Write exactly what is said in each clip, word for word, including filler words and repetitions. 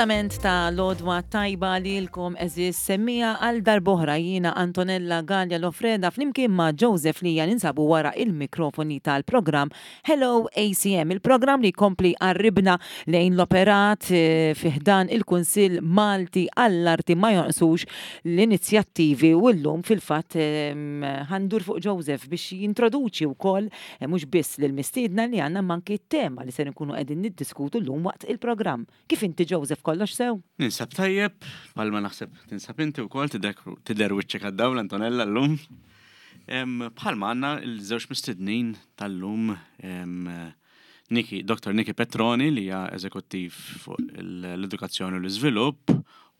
Komplament ta' l-għodwa tajba lilkom, għeżież semmiegħa. Għal darb'oħra jiena Antonella Gallia Lofreda flimkien ma' Joseph Lija ninsabu wara il-mikrofoni tal-programm Hello A C M, il-programm li jkompli jqarribna lejn l-operat eh, fi ħdan il-Kunsill Malti għall-Arti. Ma jonqsux l-inizjattivi u llum fil-fatt ħa ndur fuq Joseph biex jintroduċi wkoll eh, mhux biss lill-mistiedna li għandna, manki t-tema li ser nkunu qegħdin niddiskutu llum waqt il-programm. Kif inti, Joseph, kollox sew? Ninsab tajjeb, palma naħseb tinsab inti wkoll, tidher wiċċek għad-dawl, Antonella, llum. Bħalma għandna il-żewġ mistednin tal-lum, Niki, Doktor Niki Petroni, li hija eżekuttiv fuq l-edukazzjoni u l-iżvilupp,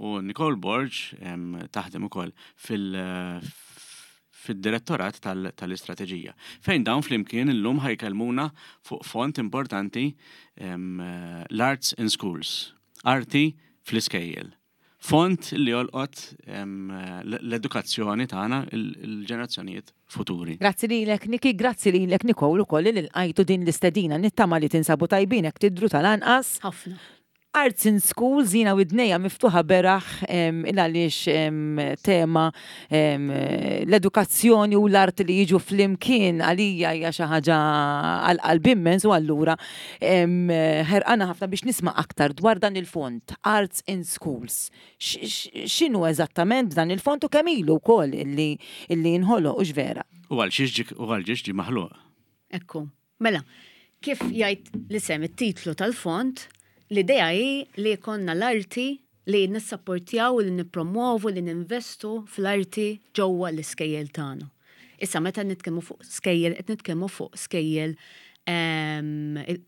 u Nicole Borg, taħdem ukoll fil- fid-direttorat tal-istrateġija. Fejn dawn flimkien illum ħa jkellmuna fuq fond importanti, l-Arts in Schools, arti fl-iskejjel. Fond li jolqot l-edukazzjoni tagħna, il-ġenerazzjonijiet futuri. Grazzi lilek, Niki, grazzi lilek, Nicole, ukoll li lqajtu din l-istedina. Nittama li tinsabu tajbin, hekk tidru tal-anqas. Ħafna. Arts in Schools, jiena widnejja miftuħa beraħ il għaliex tema l-edukazzjoni u l-art li jiġu flimkien għalija hija xi ħaġa għal-qalb immens u allura ħerqana ħafna biex nisma' aktar dwar dan il-fond Arts in Schools. X'inhu eżattament dan il-fond u kemm ilu wkoll illi illi nħoloq u vera? U għal xiex ġie maħluq? Ekku, mela, kif jgħid l-isem, it-titlu tal-fond, l-idea hi li jkollna l-arti, li nissapportjaw, li nippromovu, li ninvestu fl-arti ġewwa l-iskejjel tagħna. Issa, meta nitkellmu fuq skejjel, qed nitkellmu fuq skejjel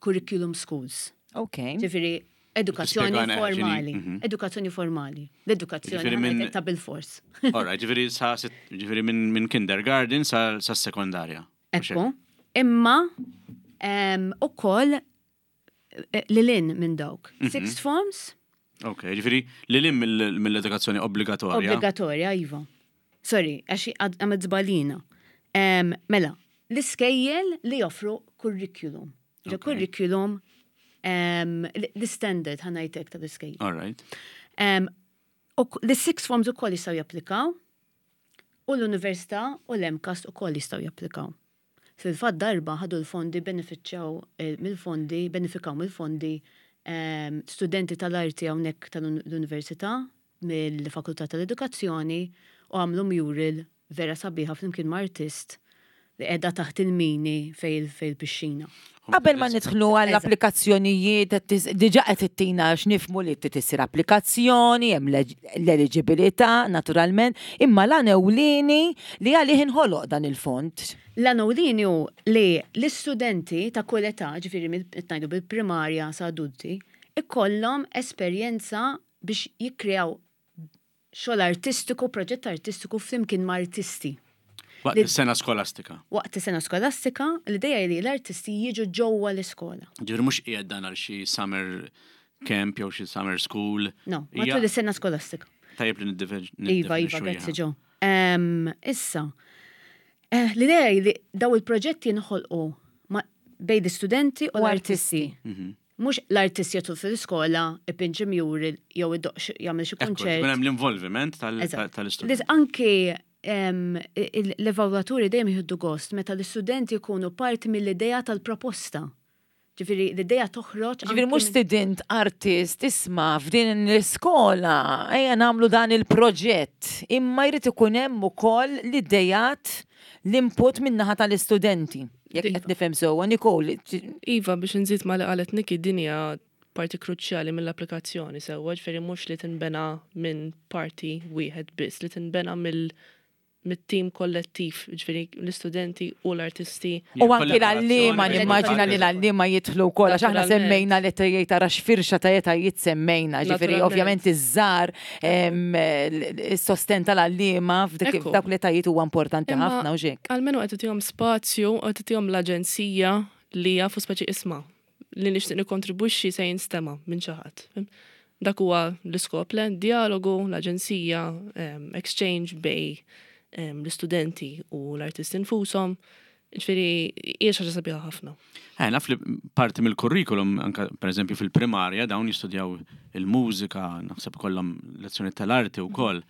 curriculum schools. Ok. Ġifieri edukazzjoni Tispjegana formali. ġini, mhm. Edukazzjoni formali. L-edukazzjoni Ġifieri minn- ta' bil-fors. Alright, ġifieri sa ġifieri minn min kindergarten sa, sa sekondarja. Ekku. Imma ukoll eh, lilin minn dawk. Mhm. Sixth forms, Ok, ġifieri lil hinn mill- mill-edukazzjoni obbligatorja. Obbligatorja, iva. Sorry, għax għamilt żball jiena. Em, Mela, l-iskejjel li joffru curriculum. Ġa Ok. curriculum, em, l-standard, ħa ngħidlek, tal-iskejjel. Alright. Em, u k- L-sixth forms ukoll jistgħu japplikaw u l-università u l-MCAST ukoll jistgħu japplikaw. Fil-fatt darba ħadu l-fondi, benefiċċjaw eh, mill-fondi, benefikaw mill-fondi em, studenti tal-arti hawnhekk tal-università mill-Fakultà tal-Edukazzjoni u għamlu mural vera sabiħa flimkien ma' artist li qiegħda taħt il-mini fejn fejn il-pixxina. Qabel ma nidħlu għall-applikazzjonijiet, qed tis- diġà qed ittina x'nifhmu li trid issir applikazzjoni, hemm l-eliġibilità naturalment, imma l-għan ewlieni li għalih inħoloq dan il-fond. L-għan ewlieni hu li l-istudenti ta' kull età, ġifieri mill- qed ngħidu bil-primarja sa adulti, ikollhom esperjenza biex jikkreaw xogħol artistiku, proġett artistiku flimkien ma' artisti. Waqt Li- is-sena skolastika. Waqt is-sena skolastika, l-idea hi li l-artisti jiġu ġewwa l-iskola. Ġifieri mhux qiegħed dan għal xi summer camp jew xi summer school. No, Hija- matul is-sena skolastika. Tajjeb li niddefe- Iva, iva, niddefinixxu grazzi hija. ġo. Em, Issa, eh, l-idea hi li daw il-proġetti jinħolqu ma- bejn l-istudenti u U l-artisti. Mhm. Mhux l-artist jidħol fil-iskola, ipinġi mural, jew idoqq xi- jagħmel xi Ekku, kunċert. ikun hemm l-involviment tal- Eżatt. tal-istudent. Lis- Anki em, il- l-evalwaturi dejjem jieħdu gost meta l-istudenti jkunu parti mill-idea tal-proposta. Ġifieri l-idea toħroġ. Ġifieri anki mhux minn- student artist, "Isma', f'din l-iskola ejja nagħmlu dan il-proġett", imma jrid ikun hemm ukoll l-idejat, l-input min-naħa tal-istudenti. Jekk qed Iva. nifhem sewwa, Nicole? Iva, biex nżid ma li qalet Niki, din hija parti kruċjali mill-applikazzjoni sewwa, ġifieri mhux li tinbena minn parti wieħed biss, li tinbena mill mit-tim kollettiv, ġifieri l-istudenti u l-artisti. U anki l-għalliema, nimmaġina li l-għalliema jidħlu wkoll, għax aħna Naturalment. semmejna li tgħid tara x'firxa ta' etajiet semmejna, ġifieri Naturalment. ovvjament iż-żgħar, is-sosten tal-għalliema f'dik Ekku. f'dawk l-etajiet huwa importanti Imma ħafna u xek. Almenu qed tagħtihom spazju, qed tagħtihom l-aġenzija li jafu speċi, "Isma', li nixtieq nikkontribwixxi se jinstema' minn xi ħadd." Dak huwa l-iskop, le dialogu, l-aġenzija, em, exchange bejn em, l-istudenti u l-artisti nfushom. Ġifieri, hija xi ħaġa sabiħa ħafna. Eh, naf li parti mill-kurrikulum, anka per eżempju fil-primarja, dawn jistudjaw il-mużika, naħseb kollhom lezzjoni tal-arti u koll.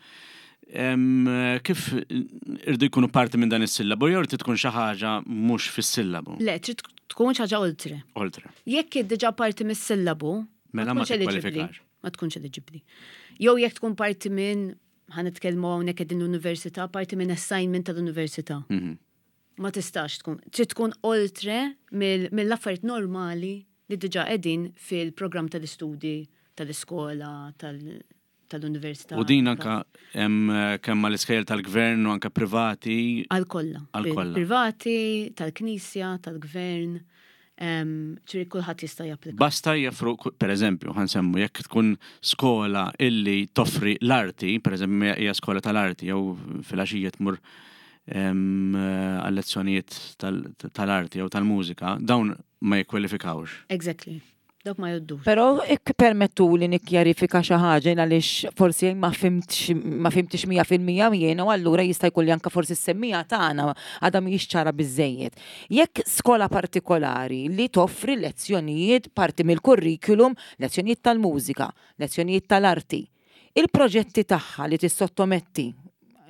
Em, Kif irdu jkunu parti minn dan is-sillabu, jew trid tkun xi ħaġa mhux fis-sillabu? Le, trid tkun xi ħaġa oltre. Oltre. Jekk diġà parti mis-sillabu, Mela ma tkunx eligibbli. tikkwalifikax. Ma tkunx eligibbli. Jew jekk tkun parti minn, ħa nitkellmu hawnhekk qegħdin l-università, parti minn assignment tal-università. Mhm. Ma tistax tkun, trid tkun oltre mill- mill-affarijiet normali li diġà qegħdin fil-programm tal-istudji tal-iskola, tal- tal-università. U din anka hemm kemm mal-iskejjel tal-gvern u anka privati. Għal kollha. Għal kollha. Privati, tal-knisja, tal-gvern, em, ġifieri kulħadd jista' japplika. Basta joffru, per eżempju, ħa nsemmu, jekk tkun skola illi toffri l-arti, per eżempju, hija skola tal-arti, jew filgħaxija tmur em, għal lezzjonijiet tal- tal-arti jew tal-mużika, dawn ma jikkwalifikawx. Exactly. Dawk ma jgħoddux. Però ikpermettu li nikkjarifika xi ħaġa għaliex forsi ma fhimtx ma fhimtx mija fil-mija jiena u allura jista' jkun li anke forsi s-semmiegħa tagħna għadha mhijiex ċara biżejjed. Jekk skola partikolari li toffri lezzjonijiet parti mill-kurrikulum, lezzjonijiet tal-mużika, lezzjonijiet tal-arti, il-proġetti tagħha li tissottometti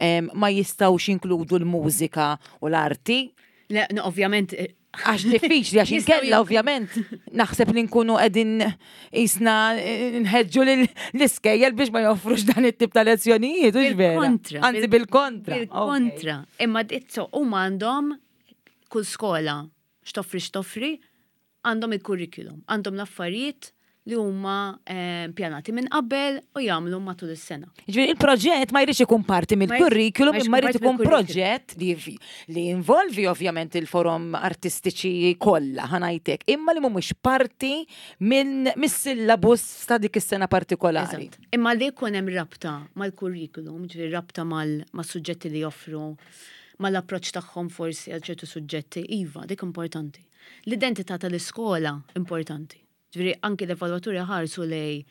em, ma jistgħux jinkludu l-mużika u l-arti, Le, no, ovvjament, eh, Għax diffiċli, għax Jistgħu inkella jink- ovvjament naħseb li nkunu qegħdin jisna nħeġġu l-iskejjel biex ma joffrux dan it-tip ta' lezzjonijiet, hux vera? Bil-kontra. Anzi bil-kontra. Bil-kontra. Imma ditso, huma għandhom kull skola x'toffri x'toffri, għandhom il-curriculum, għandhom l-affarijiet li huma eh, pjanati minn qabel u jagħmlu matul is-sena. Ġifieri il-proġett ma jridx ikun parti mill-kurrikulum, ma jridx imma jrid ikun ikun parti mill-curriculum. proġett li li involvi ovvjament il-forom artistiċi kollha ħa ngħidlek, imma li mhumiex parti minn mis-syllabus ta' dik is-sena partikolari. Eżatt. Imma li jkun hemm rabta mal-curriculum, ġifieri rabta mal- mas-suġġetti li joffru, mal-approċċ tagħhom forsi għal ċertu suġġetti, iva, dik importanti. L-identità tal-iskola importanti. Ġifieri anki l-evalwaturi ħarsu lej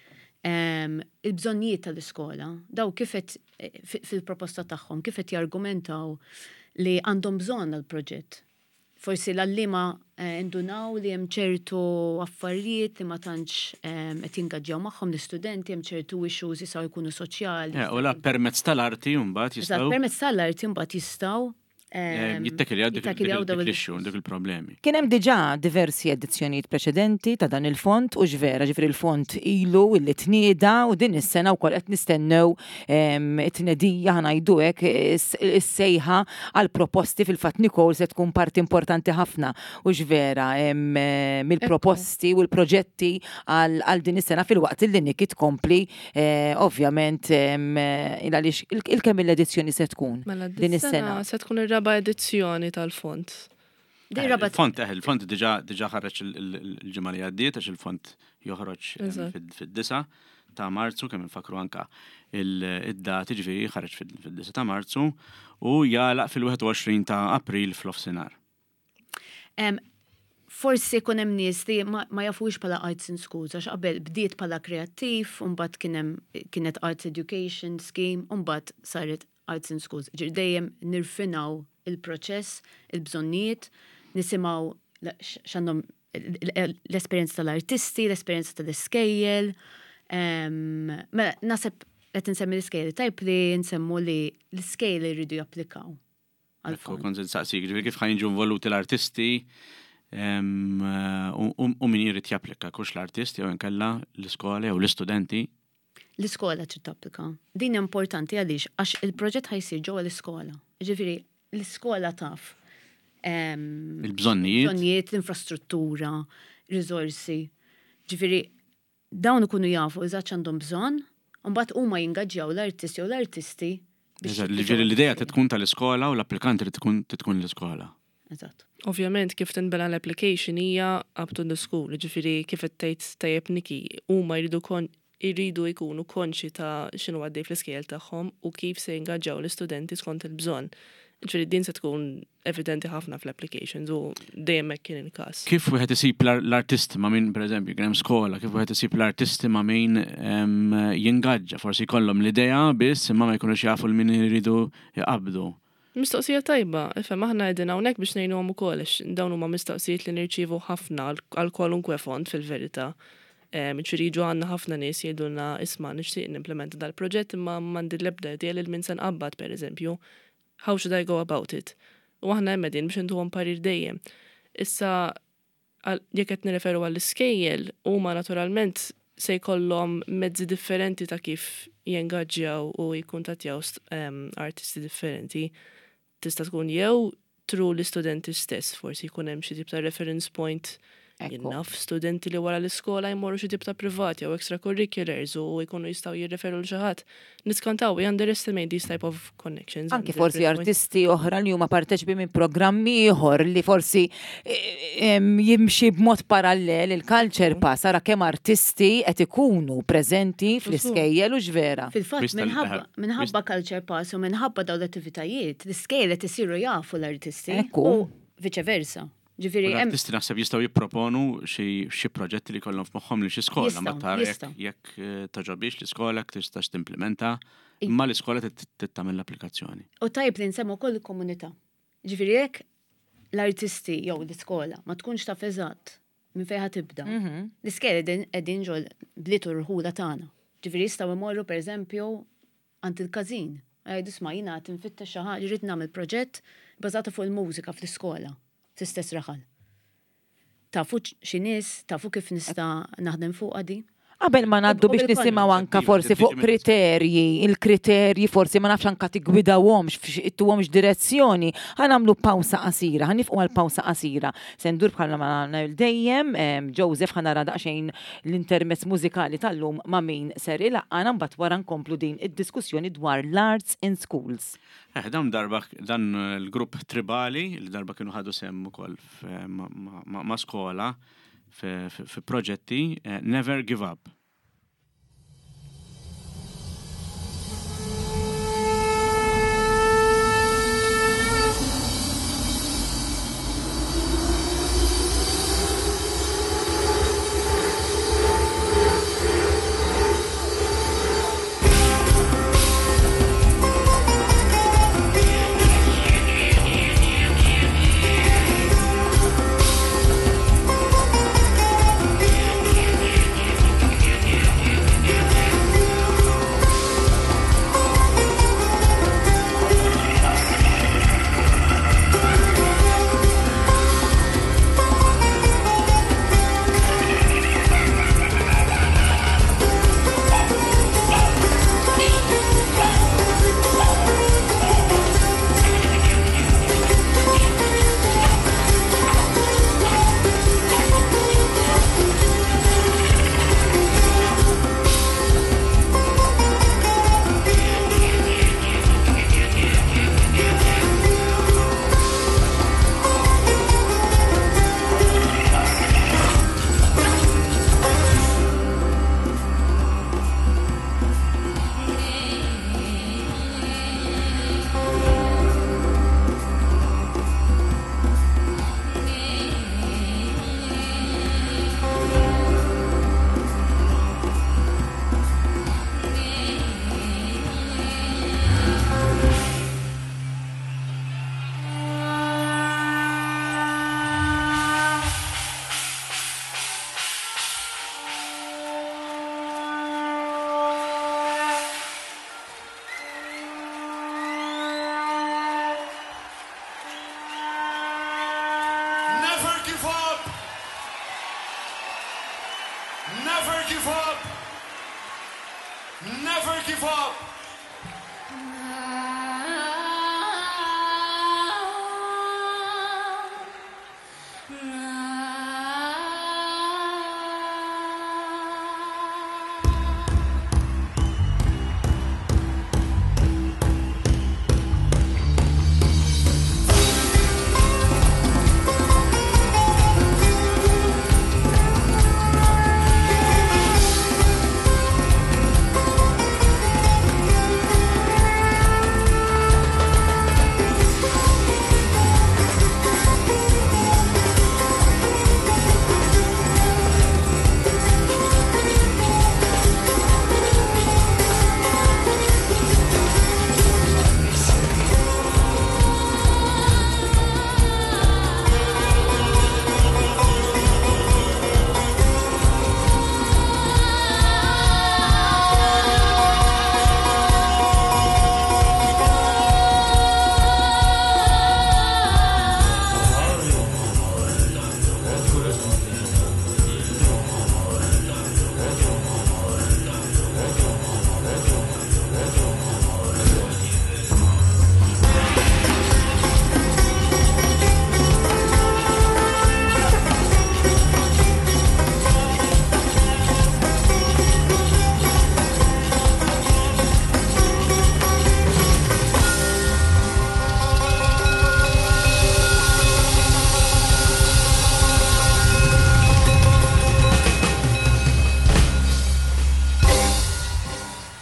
em, il-bżonnijiet tal-iskola, daw kif qed eh, fi- fil-proposta tagħhom, kif qed jargumentaw li għandhom bżonn għal-proġett. Forsi l-għalliema eh, indunaw li hemm ċertu affarijiet li ma tantx em, qed jingaġġjaw magħhom l-istudenti, hemm ċertu issues jistgħu jkunu soċjali. Eh, U la permezz tal-arti mbagħad Eżatt, jistgħu permezz tal-arti mbagħad jistgħu eh, em, jittekiljaw dik jittakiljaw daw dik il- l-issue, dik il-problemi. Kien hemm diġà diversi edizzjonijiet preċedenti ta' dan il-fond u vera ġifieri il-fond ilu illi tnieda u din is-sena wkoll qed nistennew em, it-tnedija ħa ngħidu hekk is- is-sejħa għal proposti. Fil-fatt Nicole se tkun parti importanti ħafna u vera em, eh, mill-proposti u l-proġetti għal għal din is-sena, filwaqt illi Niki tkompli eh, ovvjament em, eh, il għaliex il- il-kemm l-edizzjoni se tkun Mela din is-sena. Dis-sena se tkun ir-raba edizzjoni tal-fond. Din Eh, raba Il-fond, eh, il-fond diġà diġà ħareġ il- il- il-ġimgħa li għaddiet, għax il-fond joħroġ eh, Eżatt. fid- fid-disa ta' Marzu, kemm infakru anka il- id-dati, ġifieri ħareġ fid- fid-disa ta' Marzu u jagħlaq fil-wieħed u għoxrin ta' April f'nofsinhar. Em, forsi jkun hemm nies li ma, ma jafux bħala Arts in Schools, għax qabel bdiet bħala kreattiv, u mbagħad kien hemm kienet Arts Education Scheme, u mbagħad saret Arts in Schools. Ġifieri dejjem nirfinaw il-proċess, il-bżonnijiet, nisimgħu la- x- x'għandhom l-esperjenza tal-artisti, l-esperjenza tal-iskejjel. Em, Mela, naħseb qed insemmi l-iskejjel, tajb li nsemmu li l-iskejjel jridu japplikaw Ekku, għal-fond. kont se nsaqsik, ġifieri kif ħa jiġu involuti l-artisti em, u u- u min jrid japplika, kux l-artist jew inkella l-iskola jew l-istudenti. L-iskola trid tapplika. Din importanti għaliex għax il-proġett ħa jsir ġewwa l-iskola. Ġifieri l-iskola taf em, Il-bżonnijiet. Bżonnijiet, l-infrastruttura, riżorsi. Ġifieri dawn ikunu jafu eżatt x'għandhom bżonn, u mbagħad huma jingaġġjaw l-artisti jew l-artisti biex Eżatt, Ġifieri l-idea tkun tal-iskola u l-applikanti li tkun tkun l-iskola. Eżatt. Ovvjament kif tinbena l-application hija up to the school, ġifieri kif qed tgħid tajjeb Niki, huma jridu kon jridu jkunu konxi ta' x'inhu għaddej fl-iskejjel tagħhom u kif se jingaġġaw l-istudenti skont il-bżonn. Ġifieri din se tkun evidenti ħafna fl-applications u dejjem hekk kien il-każ. Kif wieħed isib l- l-artisti ma' min, per eżempju, kien hemm skola, kif wieħed isib l-artisti ma' min em, jingaġġa, forsi jkollhom l-idea biss imma ma jkunux jafu l min iridu jqabdu. Mistoqsija tajba, ifhem aħna qegħdin hawnhekk biex ngħinuhom ukoll għax dawn huma mistoqsijiet li nirċievu ħafna għal kwalunkwe fond fil-verità. Ġifieri jiġu għandna ħafna nies jgħidulna isma' nixtieq nimplementa dal-proġett imma m'għandi l-ebda idea lil min se nqabbad pereżempju. How should I go about it? U aħna hemm qegħdin biex intuhom parir dejjem. Issa jekk qed nirreferu għall-iskejjel huma naturalment se jkollhom mezzi differenti ta' kif jengaġġjaw u jikkuntattjaw artisti differenti. Tista' tkun jew through l-istudenti stess, forsi jkun hemm xi tip ta' reference point. Ekku. Naf studenti li wara l-iskola jmorru xi tip ta' privat jew extracurriculars u jkunu jistgħu jirreferu lil xi ħadd. Niskantaw, we underestimate these type of connections. Anki forsi artisti oħra li huma parteċipi minn programmi ieħor li forsi eh, em, jimxi b'mod parallel il-Culture Pass, ara kemm artisti qed ikunu preżenti fl-iskejjel u x'vera. Fil-fatt, Wista- minħabba eh, minħabba Culture Pass u minħabba dawn l-attivitajiet, l-iskejjel qed isiru jafu l-artisti. Ekku. U vice versa. Ġifieri hemm L-artisti naħseb jistgħu jipproponu xi xi proġetti li kollhom f'moħħhom li xi skola, ma Jistgħu, tara jekk jistgħu. jekk eh, togħġobhiex l-iskola jekk tistax timplementa, imma l-iskola trid tagħmel l-applikazzjoni. U tajb li nsemmu wkoll il-komunità. Ġifieri jekk l-artisti jew l-iskola ma tkunx taf eżatt minn fejn ħa tibda. L-iskejjel qegħdin qegħdin ġol bliet u rħula tagħna. Ġifieri jistgħu jmorru pereżempju għand il-każin. Jgħidu isma' jiena qed infittex xi ħaġa, irrid nagħmel proġett bażata fuq il-mużika fl-iskola, fl-istess raħal. Tafu xi nies, tafu kif nista' naħdem fuq di. Qabel ma ngħaddu U biex bil-kontra. nisimgħu anka forsi fuq kriterji, il-kriterji forsi ma nafx anka tigwidawhomx, ittuhomx direzzjoni, ħa nagħmlu pawsa qasira, ħa nifqu għal pawsa qasira. Se ndur bħalma ma nagħmel dejjem, em, Joseph ħa nara daqsxejn l-intermezz mużikali tal-lum ma' min ser ilaqqana mbagħad wara nkomplu din id-diskussjoni dwar l-arts in schools. Eh, dan darba dan il-grupp tribali li darba kienu ħadu sehem ukoll f- ma- ma ma- ma' skola fi fi proġetti eh, Never Give Up. Never give up! Never give up! Never give up! Never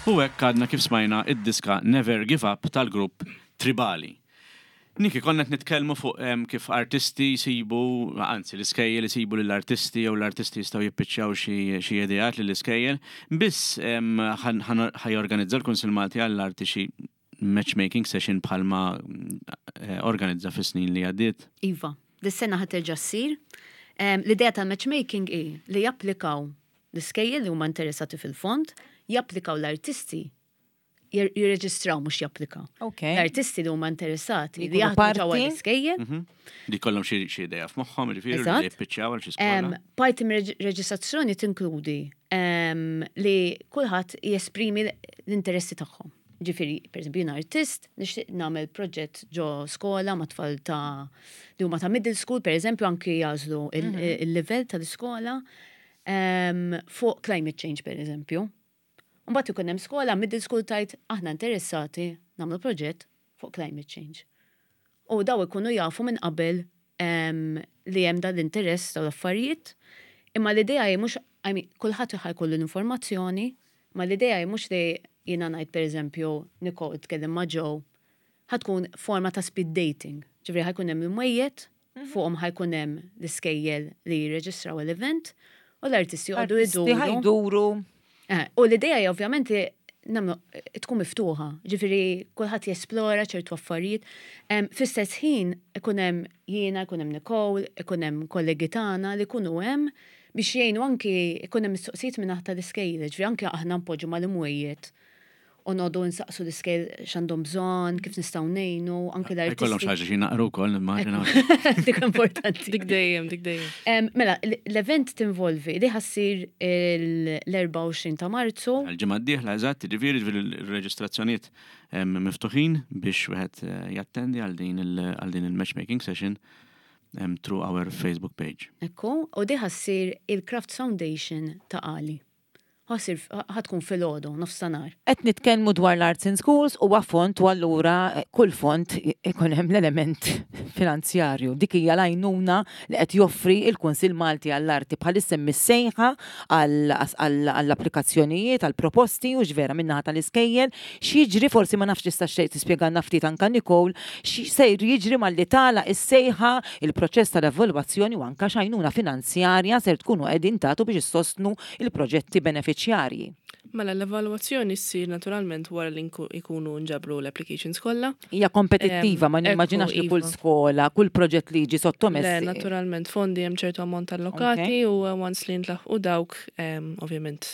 U hekk għadna kif smajna id-diska Never Give Up tal-grupp Tribali. Niki, konna qed nitkellmu fuq em, kif artisti jsibu, anzi l-iskejjel jsibu lill-artisti jew l-artisti jistgħu jippiċċjaw xi xi ideat lill-iskejjel. Biss em, ħan- ħan- ħa jorganizza l-Kunsill Malti għall-Arti xi matchmaking session bħalma eh, organizza fis-snin li għaddiet. Iva, dis-sena ħa terġa' ssir. Em, L-idea tal-matchmaking hi li japplikaw l-iskejjel li huma interessati fil-fond, japplikaw l-artisti, jir- jirreġistraw mhux japplikaw. Ok. L-artisti li huma interessati Li li jkunu jaħdmu ġewwa parti. l-iskejjel. Li kollhom xi xi idea f'moħħhom, jiġifieri li Eżatt. jippiċċjaw għal xi Em, skola. Parti mir-reġistrazzjoni tinkludi em, li kulħadd jesprimi l-interessi tagħhom. Ġifieri, per eżempju, jien artist, nixtieq nagħmel proġett ġo skola ma' tfal ta' li huma ta' middle school, per eżempju, anki jagħżlu il- il-livell tal-iskola em, fuq climate change, per eżempju. Mbagħad ikun hemm skola, middle school tgħid aħna interessati nagħmlu proġett fuq climate change. U daw ikunu jafu minn qabel em, li hemm dan l-interess daw l-affarijiet. Imma l-idea hi mhux, I mean, kulħadd ħa jkollu l-informazzjoni, ma l-idea hi mhux li jiena ngħid pereżempju Nicole tkellem ma' Joe, ħa tkun forma ta' speed dating. Ġifieri ħa jkun hemm il-mwejjed, fuqhom ħa jkun hemm l-iskejjel li jirreġistraw l-event u l-artisti joqogħdu Artisti jduru. ħa jduru. Eh, U l-idea hija ovvjament li nagħmlu tkun miftuħa, ġifieri kulħadd jesplora ċertu affarijiet. Em, Fl-istess ħin ikun hemm jiena, ikun hemm Nicole, ikun hemm kollegi tagħna li jkunu hemm biex jgħinu anki ikun hemm mistoqsijiet minn aħta l-iskejjel, ġifieri anki aħna npoġġu mal-imwejjed u noqogħdu nsaqsu l-iskejjel x'għandhom bżonn, kif nistgħu ngħinu, anki Jkollhom xi l-artisti. ħaġa xi naqru wkoll nimmaġina. Dik importanti. Dik dejjem, dik dejjem. Em, Mela, l- l-event tinvolvi li ħa ssir l-erbgħa u għoxrin ta' Marzu. Għal-ġimgħa d-dieħla eżatt, jiġifieri ġifieri l-reġistrazzjonijiet em, miftuħin biex wieħed eh, jattendi għal din il- għal din il-matchmaking session em, through our Facebook page. Ekku, u di ħa ssir il-Crafts Foundation Ta' Qali. Ħa ssir, ħa tkun filgħodu, nofstanhar. Qed nitkellmu dwar l-Arts in Schools u fond u allura eh, kull fond ikun hemm l-element finanzjarju. Dik hija l-għajnuna li qed joffri il-Kunsill Malti għall-Arti bħalissa mis-sejħa għall-applikazzjonijiet, għall-proposti u ġvera min-naħa tal-iskejjel. X'jiġri, forsi ma nafx tista' xejn tispjegalna ftit anka Nicole, x'sejr jiġri malli tagħlaq is-sejħa, il-proċess tal-evalwazzjoni u anka x'għajnuna finanzjarja ser tkunu qegħdin tagħtu biex issostnu il-proġetti benefiċjarji. Mela l-evalwazzjoni ssir naturalment wara li nku- ikunu nġabru l-applications kollha. Hija kompetittiva, ma Em, nimmaġinax ekku, li kull iva. skola, kull proġett li jiġi sottomess. Le, naturalment, fondi hemm ċertu ammont allokati u uh, once li ntlaħqu dawk, em, ovvjament,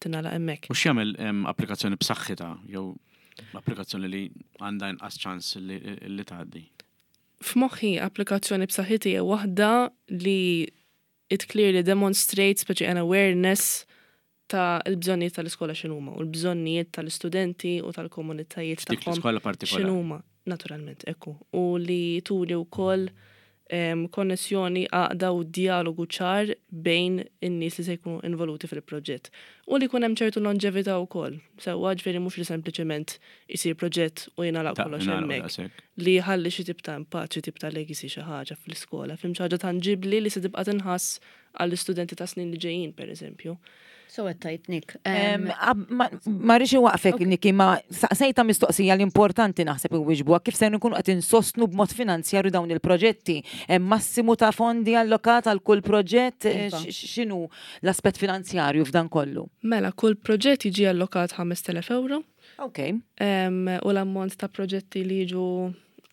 tingħalaq hemmhekk. U x'jagħmel em, applikazzjoni b'saħħitha jew applikazzjoni li għandha inqas ċans li, li tgħaddi? F'moħħi applikazzjoni b'saħħitha hija waħda li it clearly demonstrates speċi an awareness ta' l-bżonnijiet tal-iskola x'inhuma u l-bżonnijiet tal-istudenti u tal-komunitajiet Dik tagħhom l-iskola partikolari. x'inhuma, naturalment, ekku. U li turi wkoll em, konnessjoni, għaqda u dialogu ċar bejn in-nies li se jkunu involuti fil-proġett. U li jkun hemm ċertu longevità wkoll. Sewwa, ġifieri mhux li sempliċement isir proġett u jingħalaq Ta' kollox ingħalaq hemmhekk. daqshekk. Li jħalli xi tip ta' impatt, xi tip ta' legacy, xi ħaġa fl-iskola, fim xi ħaġa tanġibli li se tibqa' tinħass għall-istudenti ta' snin li ġejjin, per eżempju. So qed tajt Nick. Em, ab- Ma ma rridx inwaqfek, Niki, ma saqsejta mistoqsija l-importanti naħseb inwiġbuha: kif se nkunu qed insostnu b'mod finanzjarju dawn il-proġetti? Hemm massimu ta' fondi allokat għal kull proġett? Eh, Iva. x- X'inhu l-aspett finanzjarju f'dan kollu? Mela, kull proġett jiġi allokat ħamest elef euro Ok, em, u l-ammont ta' proġetti li jiġu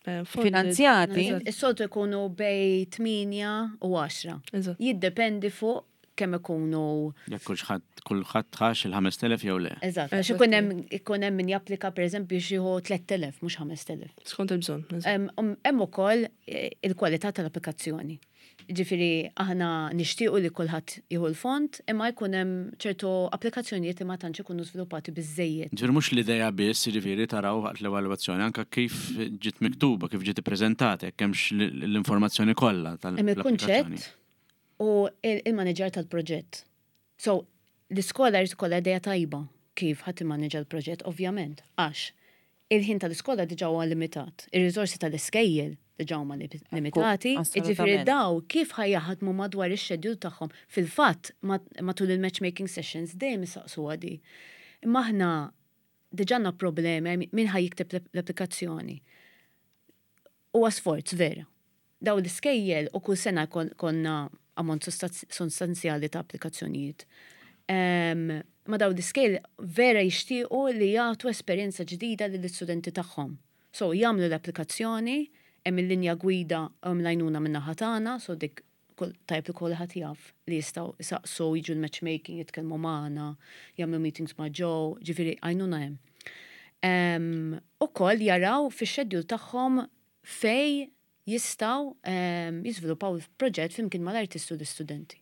em, funded. Finanzjati? Eżatt, Is-soltu jkunu bejn tmienja u għaxra. eżatt. Jiddependi fuq kemm ikunu. Jekk kulħadd kulħadd ħax il-ħamest elef jew le. Eżatt, għax Eżatt. ikun hemm ikun hemm min japplika pereżempju xi jieħu tlett elef mhux ħamest elef. Skont il-bżonn. Eżatt. Hemm um, hemm ukoll eh, il-kwalità tal-applikazzjoni. Ġifieri aħna nixtiequ li kulħadd jieħu l-fond, imma jkun hemm ċertu applikazzjonijiet li ma tantx ikunu żviluppati biżejjed. Ġifieri mhux l-idea biss, jiġifieri taraw waqt l-evalwazzjoni anke kif ġiet miktuba, kif ġiet ippreżentata, jekk hemmx l- l-informazzjoni kollha Hemm tal-applikazzjoni. il-kunċett u il- il-manager tal-proġett. So, l-iskola jrid ikollha idea tajba kif ħadd immaneġa l-proġett, ovvjament, għax il-ħin tal-iskola diġà huwa limitat, ir-riżorsi tal-iskejjel diġà huma li- limitati, jiġifieri assolutament. daw kif ħa jaħdmu madwar ix-schedule tagħhom. Fil-fatt, matul il-matchmaking sessions dejjem isaqsu għadi. Imma aħna diġà għandna problemi min ħa jikteb l-applikazzjoni. Huwa sforz vera. Daw l-iskejjel u kull sena konna ammont sostanzjali ta' applikazzjonijiet. Ma daw l-iskejjel vera jixtiequ li jagħtu esperjenza ġdida lill-istudenti tagħhom. So jagħmlu l-applikazzjoni, hemm il-linja gwida hemm l-għajnuna min-naħa tagħna, so dik tajb li kulħadd jaf li jistgħu jsaqsu jiġu l-matchmaking, jitkellmu magħna, jagħmlu meetings ma' Joe, ġifieri għajnuna hemm. Ukoll jaraw fix-schedule tagħhom fej jistgħu jiżviluppaw proġett flimkien mal-artisti u l-istudenti.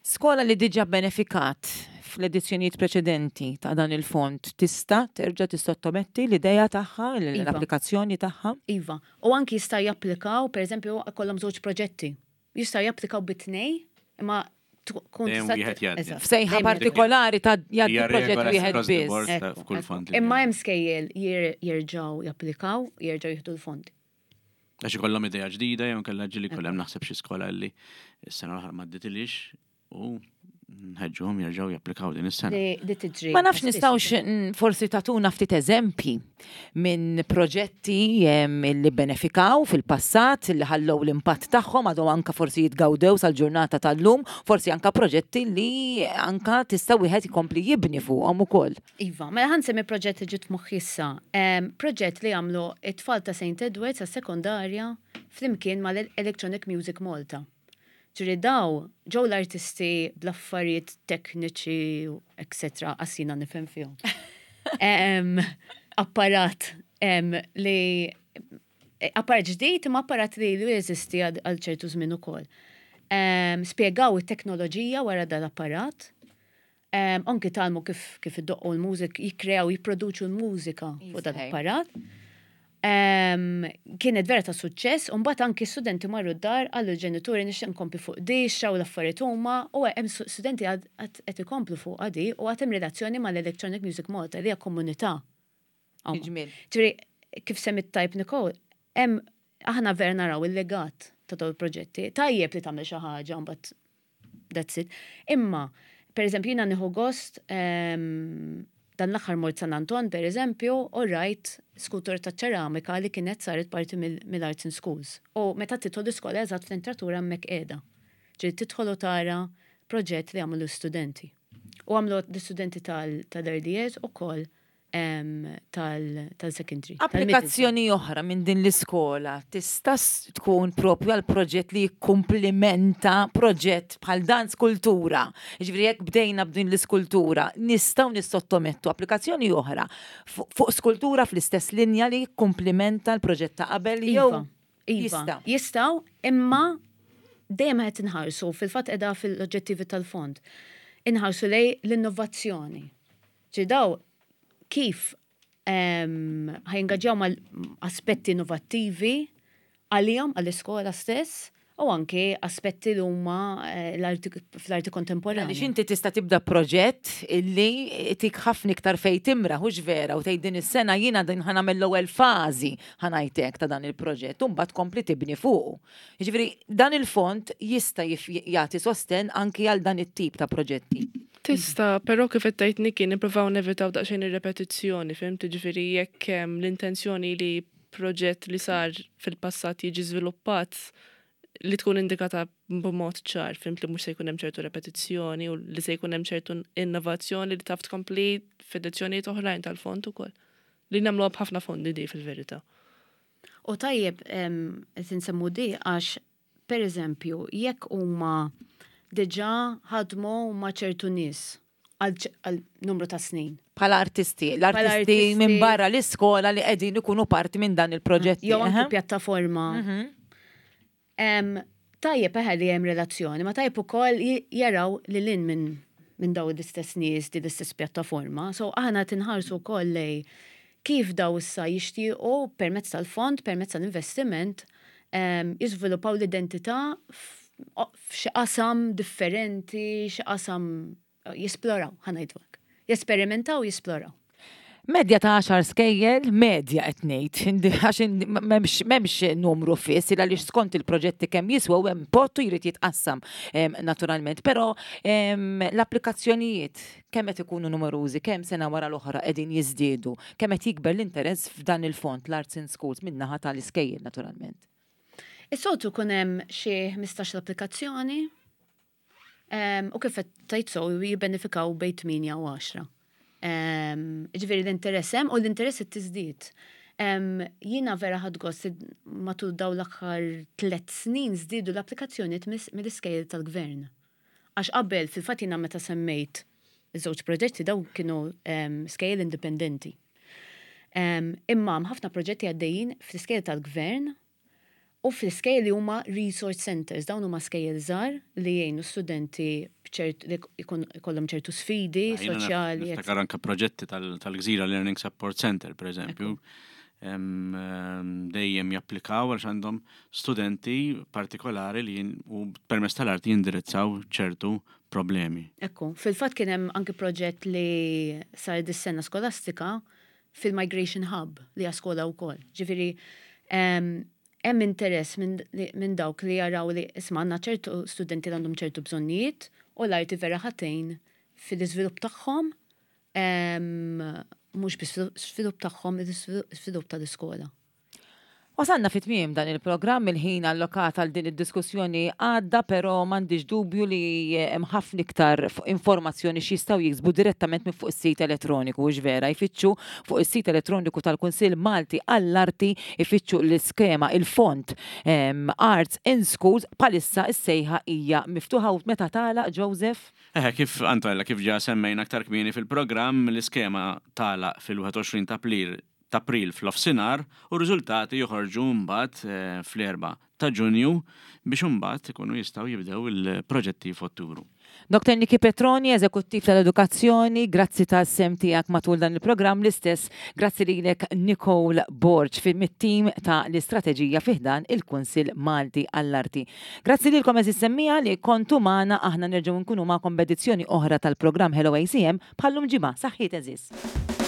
Skola li diġa benefikat fl-edizzjonijiet preċedenti ta' dan il-fond tista' terġa' tissottometti l-idea tagħha, Iva. l-applikazzjoni tagħha? Iva. U anki jista' japplikaw, per eżempju, kollhom żewġ proġetti. Jista' japplikaw bit-tnej, imma tkun Dejjem tista' wieħed jgħaddi. Eżatt. F'sejħa Dejjem partikolari ta' jgħaddi Hija proġett regola wieħed across the biss. board ta' Ekku, f'kull ekku. fond li Imma hemm. hemm skejjel jer- jerġgħu japplikaw, jerġgħu jieħdu l-fondi. Għax ikollhom idea ġdida jew kellha ġieli kollha hemm naħseb xi skola li s-sena l-oħra ma dditilix u nħeġġuhom jerġgħu japplikaw din is-sena. Li li tiġri. Ma nafx nistgħux mm, forsi tatuna ftit eżempji minn proġetti em, li benefikaw fil-passat, li ħallew l-impatt tagħhom għadhom anka forsi jitgawdew sal-ġurnata tal-lum, forsi anka proġetti li anka tista' wieħed ikompli jibni fuqhom ukoll. Iva, mela ħa nsemmi proġett li ġiet moħħi issa. Em, Proġett li għamlu it-tfal ta' Saint Edwards sa' sekondarja flimkien mal-Electronic Music Malta. Ġifieri daw, ġew l-artisti bl-affarijiet tekniċi, etc. Għax jiena nifhem fihom. Em, Apparat em, li apparat ġdid imma apparat li li jeżisti għal għal ċertu żmien ukoll. Em, Spjegaw it-teknoloġija wara dal-apparat. Um, anki tgħallmu kif, kif iddoqqu l-mużik, jikkreaw, jipproduċu l-mużika fuq dan Iżħej. l-apparat. Um, kienet vera ta' suċċess, u mbagħad anki studenti marru d-dar għallu l-ġenituri nixtieq nkompli fuq di, xaw l-affarijiet huma, u hemm su- studenti għad għad qed ikomplu fuq għadi u għad hemm relazzjoni mal-Electronic Music Malta li hija komunità. Huma. Ġmiel. Ġifieri, kif semmit tajb Nicole, hemm aħna vera naraw il-legat ta' dawn il-proġetti. Tajjeb li tagħmel xi ħaġa, mbagħad that's it. Imma, per eżempju, jiena nieħu gost em, dan l-aħħar mort San Anton, per eżempju, u rajt skultura ta' ċeramika li kienet saret parti mill- mill-Arts in Schools. U meta tidħol l-iskola eżatt fl-entratura hemmhekk qiegħda. Ġifieri tidħol u tara proġett li għamlu studenti. U għamlu l-studenti tal-R D S u koll tal-secondary. Applikazzjoni oħra minn din l-iskola tista' s- tkun propju għal proġett li jikkumplimenta proġett bħal dan skultura. Ġifieri jekk bdejna b'din l-iskultura, nistgħu nissottomettu applikazzjoni oħra fu- fuq skultura fl-istess linja li jikkumplimenta l-proġett ta' qabel jew Iva, iva. jista'. Jistgħu, imma dejjem qed inħarsu fil-fatt qiegħda fil-oġġettivi tal-fond. Inħarsu lej l-innovazzjoni. Ġi daw kif em, ħa jingaġġjaw mal aspetti innovattivi għalihom għall-iskola stess u anke aspetti li huma eh, l-arti fl-arti kontemporanja. Għaliex inti tista' tibda proġett illi tik ħafna iktar fej timra, hux vera, u tgħid din is-sena jiena din ħa nagħmel l-ewwel fażi ħa ngħidlek ta' dan il-proġett, u mbagħad tkompli tibni fuqu. Jiġifieri dan il-fond jista' jif- jagħti sosten anki għal dan it-tip ta' proġetti. Tista, però kif qed tgħid Niki nippruvaw nevitaw daqsxejn ir-repetizzjoni, fhimt? Ġifieri jekk hemm l-intenzjoni li proġett li sar fil-passat jiġi żviluppat li tkun indikata b'mod ċar, fhimt, li mhux se jkun hemm ċertu repetizzjoni u li se jkun hemm ċertu innovazzjoni li taf tkompli f'edizzjonijiet oħrajn tal-fond ukoll. Li nagħmluha b'ħafna fondi di fil-verità. U tajjeb em, qed insemmu di għax per eżempju, jekk huma diġà ħadmu ma' ċertu nies għal ċ- għal numru ta' snin. Bħala artisti, l-artisti artisti. minn barra l-iskola li qegħdin ikunu parti minn dan il-proġetti. Jew anke eħe. pjattaforma. Em, Tajjeb eħe li hemm relazzjoni, ma tajjeb ukoll j- jaraw li lin minn minn daw l-istess nies di l-istess pjattaforma. So aħna tinħarsu wkoll lej kif daw issa jixtiequ permezz tal-fond, permezz tal-investiment, em, jiżviluppaw l-identità f- o- f'xi qasam differenti, xi qasam jisploraw, ħa ngħidu hekk. Jesperimentaw, jisploraw. Medja ta' għaxar skejjel, medja qed ngħid, għax m'hemmx m'hemmx numru fiss, għaliex skont il-proġetti kemm jiswew hemm pottu jrid jitqassam naturalment, però l-applikazzjonijiet kemm qed ikunu numerużi, kemm sena wara l-oħra qegħdin jiżdiedu, kemm qed jikber l-interess f'dan il-fond l-Arts in Schools min-naħa tal-iskejjel naturalment. Is-soltu kun hemm xi ħmistax l-applikazzjoni u kif qed tgħid so jibbenefikaw bejn tmienja u għaxra. Ġifieri l-interess hemm u l-interess qed tiżdied. Jiena vera ħadt gost matul daw l-aħħar tliet snin żdiedu l-applikazzjonijiet mill-iskejjel tal-gvern. Għax qabel fil-fatt jiena meta semmejt iż-żewġ proġetti daw kienu skejjel indipendenti. Imma ħafna proġetti għaddejjin fl-iskejjel tal-gvern u fl-iskejjel li huma resource centers, dawn huma skejjel żgħar li jgħinu studenti li jkollhom ċertu sfidi soċjali. Niftakar anke proġetti tal-Gżira Learning Support Center, per eżempju, dejjem japplikaw għax għandhom studenti partikolari li u permezz tal-arti jindirizzaw ċertu problemi. Ekku, fil-fatt kien hemm anke proġett li sar dis-sena skolastika fil-Migration Hub li hija skola wkoll. Ġifieri hemm interess minn dawk li jaraw li isma' għandna ċertu studenti li għandhom ċertu bżonnijiet u l-arti vera ħa tgħin fil-iżvilupp tagħhom, mhux biss żvilupp tagħhom, iżvilupp tal-iskola. Wasalna fi tmiem dan il-programm, il-ħin allokat għal din id-diskussjoni għadda, però m'għandix dubju li hemm ħafna iktar informazzjoni x'jistgħu jiksbu direttament minn fuq is-sit elettroniku, hux vera, jfittxu fuq is-sit elettroniku tal-Kunsill Malti għall-Arti, ifittxu l-iskema, il-fond Arts in Schools, bħalissa s-sejħa hija miftuħa u meta tagħlaq, Joseph? Eh, kif Antonella, kif ġa semmejna aktar kmieni fil-programm, l-iskema tagħlaq fil-wieħed u għoxrin ta' April ta' April f'nofsinhar u r-riżultati joħorġu mbagħad eh, fl-erba' ta' Ġunju biex imbagħad ikunu jistgħu jibdew il-proġetti f'Ottubru. Doktor Niki Petroni, Eżekuttiv tal-Edukazzjoni, grazzi tas-sehem tiegħek matul dan il-programm, l-istess grazzi lilek Nicole Borg mit-tim ta' l-istrateġija fi ħdan il-Kunsill Malti għall-Arti. Grazzi lilkom għeżież semmiegħa li kontu magħna, aħna nerġgħu nkunu magħkom b'edizzjoni oħra tal-programm Hello A C M bħallum ġimgħa. Saħħiet għeżież.